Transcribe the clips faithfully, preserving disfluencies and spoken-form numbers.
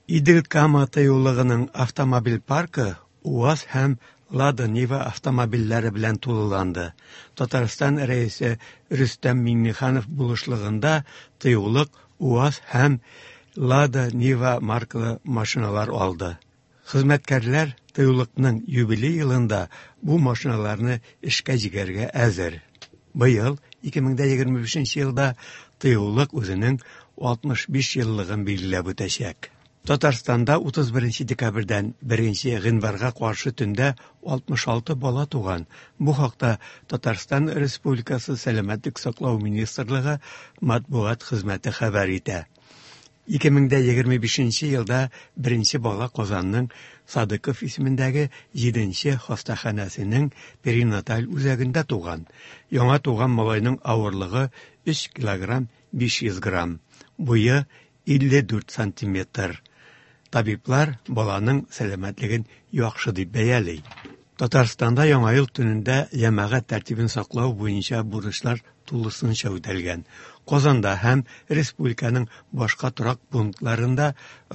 Идел-Кама тыюлыгының автомобиль паркы УАЗ һәм Лада Нива автомобильләре белән тулыланды. Татарстан Рәисе Рөстәм Миңнеханов булышлыгында тыюлык УАЗ һәм Лада Нива маркалы машиналар алды. Хезмәткәрләр тыюлыкның юбилей елында бу машиналарны эшкә җигәргә әзер. Быел ике мең дә егерме бишенче елда тыюлык үзенең алтмыш биш еллыгын билгеләп үтәчәк. Татарстанда утыз беренче декабрьдән беренче гыйнварга каршы төндә алтмыш алты бала туган. Бу хакта Татарстан Республикасы Сәламәтлек саклау министрлыгы матбугат хезмәте хәбәр итә. Ике мең дә егерме бишенче елда беренче бала Казанның Садыков исемендәге җиденче хастаханәсенең перинаталь үзәгендә туган. Яңа туган малайның авырлыгы өч килограмм биш йөз грамм, буе илле дүрт сантиметр. Табиблар баланың сәламәтлеген яхшы дип бәяли. Татарстанда Яңа ел төнендә җәмәгать тәртибен саклау буенча бурычлар тулысынча үтәлгән. Казанда һәм республиканың башка торак пунктларында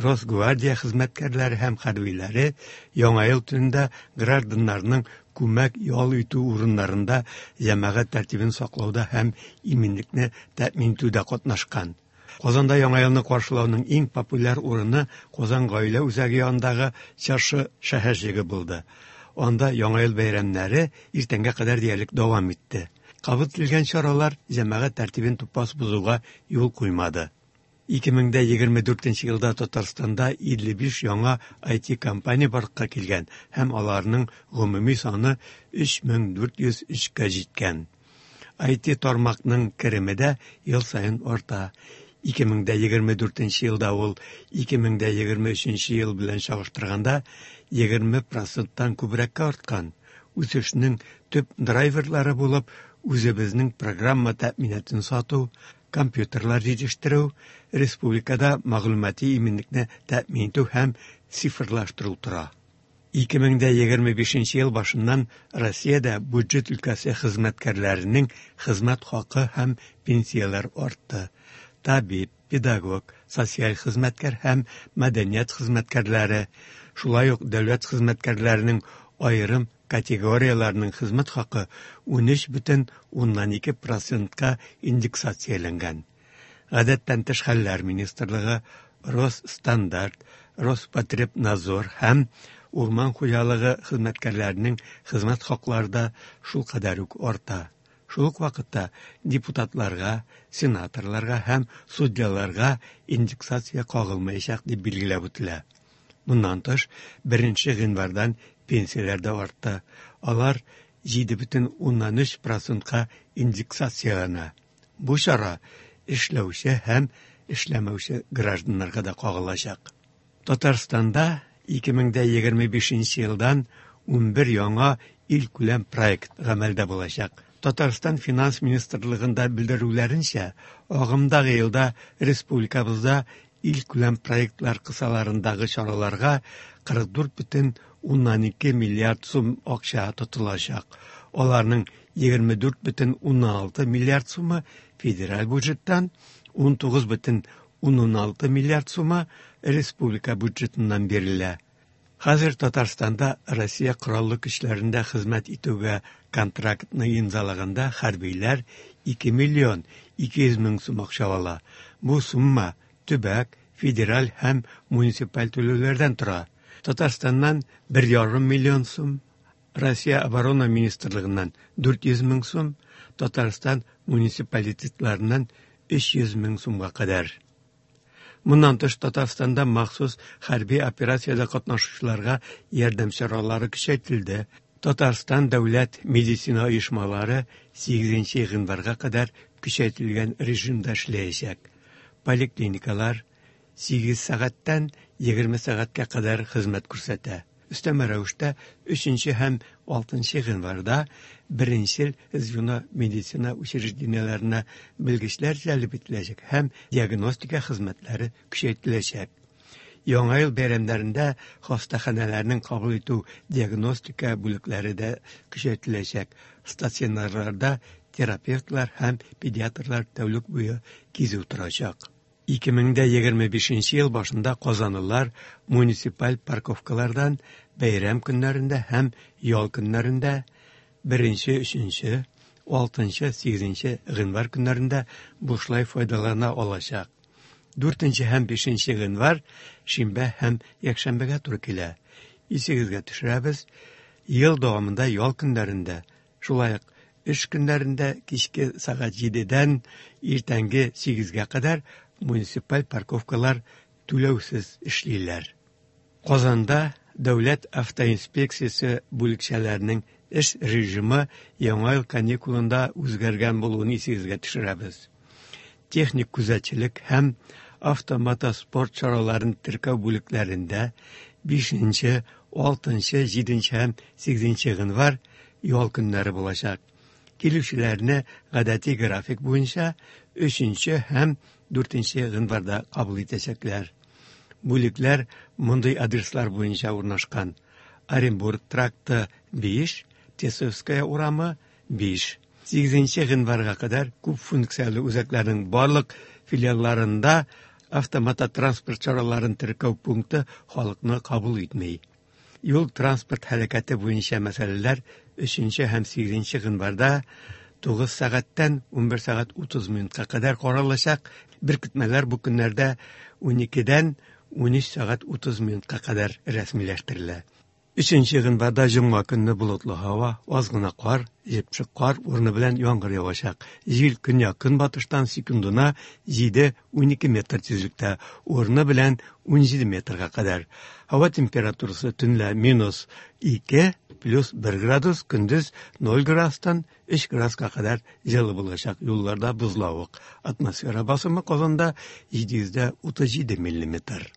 Росгвардия хезмәткәрләре һәм хәрбиләре Яңа ел төнендә гражданнарның күмәк ял итү урыннарында җәмәгать тәртибен саклауда һәм иминлекне тәэмин итүдә катнашкан. Казанда Яңа елны каршылауның иң популяр урыны Казан гаилә үзәге янындагы Чыршы шәһәрчеге булды. Анда Яңа ел бәйрәмнәре иртәнгә кадәр диярлек дәвам итте. Кабул ителгән чаралар җәмәгать тәртибен тупас бозуга юл куймады. Ике мең дә егерме дүртенче елда Татарстанда илле биш яңа ай ти компания барлыкка килгән һәм аларның гомуми саны өч мең дүрт йөз өчкә җиткән. ай ти тармакның кереме дә ел саен арта. Ике мең дә егерме дүртенче елда ул ике мең дә егерме өченче ел белән чагыштырганда егерме проценттан күбрәккә арткан. Үсешнең төп драйверлары булып үзебезнең программа тәэминатын сату, компьютерлар җитештерү, республикада мәгълүмати иминлекне тәэмин итү һәм цифрлаштыру тора. Ике мең дә егерме бишенче ел башыннан Россиядә бюджет өлкәсе хезмәткәрләренең хезмәт хакы һәм пенсияләр артты. Табиб, педагог, социаль хезмәткәр һәм мәдәният хезмәткәрләре, шулай ук дәүләт хезмәткәрләренең аерым категорияләренең хезмәт хакы унөч бөтен уннан ике процентка индексацияләнгән. Гадәттән тыш хәлләр министрлыгы, Росстандарт, Роспотребнадзор һәм урман хуҗалыгы хезмәткәрләренең хезмәт хаклары да шул кадәр үк арта. Шул ук вакытта депутатларга, сенаторларга һәм судьяларга индексация кагылмаячак дип билгеләп үтелә. Моннан тыш, беренче гыйнвардан пенсияләр дә артты. Алар җиде бөтен уннан өч процентка индексацияләнә. Бу чара эшләүче һәм эшләмәүче гражданнарга да кагылачак. Татарстанда ике мең дә егерме бишенче елдан унбер яңа илкүләм проект гамәлдә булачак. Татарстан Финанс министрлыгында белдерүләренчә, агымдагы елда республикабызда илкүләм проектлар кысаларындагы чараларга кырык дүрт бөтен уннан ике миллиард сум акча тотылачак. Аларның егерме дүрт бөтен уннан алты миллиард сумы федераль бюджеттан, ун тугыз бөтен уннан алты миллиард сумы республика бюджетыннан бирелә. Хәзер Татарстанда Россия Кораллы көчләрендә хезмәт итүгә контрактны имзалаганда хәрбиләр ике миллион ике йөз мең сум акча ала. Бу сумма төбәк, федераль һәм муниципаль түләүләрдән тора. Татарстаннан бер ярым миллион сум, Россия Оборона министрлыгыннан дүрт йөз мең сум, Татарстан муниципалитетларыннан өч йөз мең сумга кадәр. Моннан тыш, Татарстанда махсус хәрби операциядә катнашучыларга ярдәм чаралары көчәйтелде. Татарстан дәүләт медицина оешмалары сигезенче гыйнварга кадәр көчәйтелгән режимда эшләячәк. Поликлиникалар сигез сәгатьтән егерме сәгатькә кадәр хезмәт күрсәтә. Өстәмә рәвештә өченче һәм алтынчы гыйнварда беренчел звено медицина учреждениеләренә белгечләр җәлеп ителәчәк һәм диагностика хезмәтләре көчәйтеләчәк. Яңа ел бәйрәмнәрендә хастаханәләрнең кабул итү диагностика бүлекләре дә көчәйтеләчәк. Стационарларда терапевтлар һәм педиатрлар тәүлек буе кизү торачак. ике мең дә егерме бишенче ел башында казанлылар муниципаль парковкалардан бәйрәм көннәрендә һәм ял көннәрендә беренче, өченче, алтынчы, сигезенче гыйнвар көннәрендә бушлай файдалана алачак. Дүртенче һәм бишенче гыйнвар шимбә һәм якшәмбегә туры килә. Исегезгә төшерәбез, ел дәвамында ял көннәрендә, шулай ук эш көннәрендә кичке сәгать җидедән иртәнге сигезгә кадәр муниципаль парковкалар түләүсез эшлиләр. Казанда Дәүләт автоинспекциясе бүлекчәләренең эш режимы яңа ел каникулында үзгәргән булуын исегезгә төшерәбез. Техник күзәтчелек һәм автомотоспорт чараларын теркәү бүлекләрендә бишенче, алтынчы, җиденче һәм сигезенче гыйнвар ял көннәре булачак. Килүчеләрне гадәти график буенча өченче һәм дүртенче гыйнварда кабул итәчәкләр. Бүлекләр мондый адреслар буенча урнашкан: Оренбург тракты биш, Тесовская урамы биш. Сигезенче гыйнварга кадәр күп функцияле үзәкләрнең барлык филиалларында автомототранспорт чараларын теркәү пункты халыкны кабул итми. Юл транспорт һәлакәте буенча мәсьәләләр өченче һәм сигезенче гыйнварда тугыз сәгатьтән унбер сәгать утыз минутка кадәр каралачак. Беркетмәләр бу көннәрдә уникедән унөч сәгать утыз минутка кадәр рәсмиләштерелә. Өченче гыйнварда җомга көнне болытлы һава, аз гына кар, җепшек кар урыны белән яңгыр явачак. Җил көньяк-көнбатыштан секундына җиде унике метр тизлектә, урыны белән унҗиде метрга кадәр. Һава температурасы төнлә минус ике, плюс бер градус, көндез ноль градустан өч градуска кадәр җылы булачак. Юлларда бозлавык. Атмосфера басымы Казанда җиде йөз дә утыз җиде миллиметр.